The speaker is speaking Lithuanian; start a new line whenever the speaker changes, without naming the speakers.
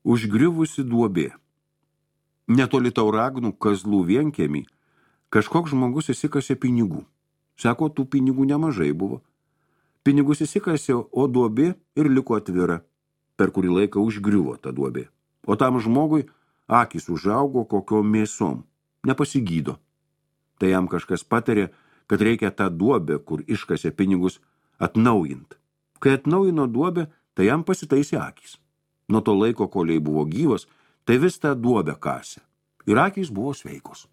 Užgriuvusi duobė. Netoli Tauragnų Kazlų vienkiemį kažkoks žmogus įsikasė pinigų. Sako, tų pinigų nemažai buvo. Pinigus įsikasė, o duobė ir liko atvira. Per kurį laiką užgriuvo ta duobė. O tam žmogui akys užaugo kokiom mėsom. Nepasigydo. Tai jam kažkas patarė, kad reikia tą duobę, kur iškasė pinigus, atnaujint. Kai atnaujino duobę, tai jam pasitaisė akys. Nuo to laiko, kol jai buvo gyvas, tai vis tą duobę kasė. Ir akys buvo sveikos.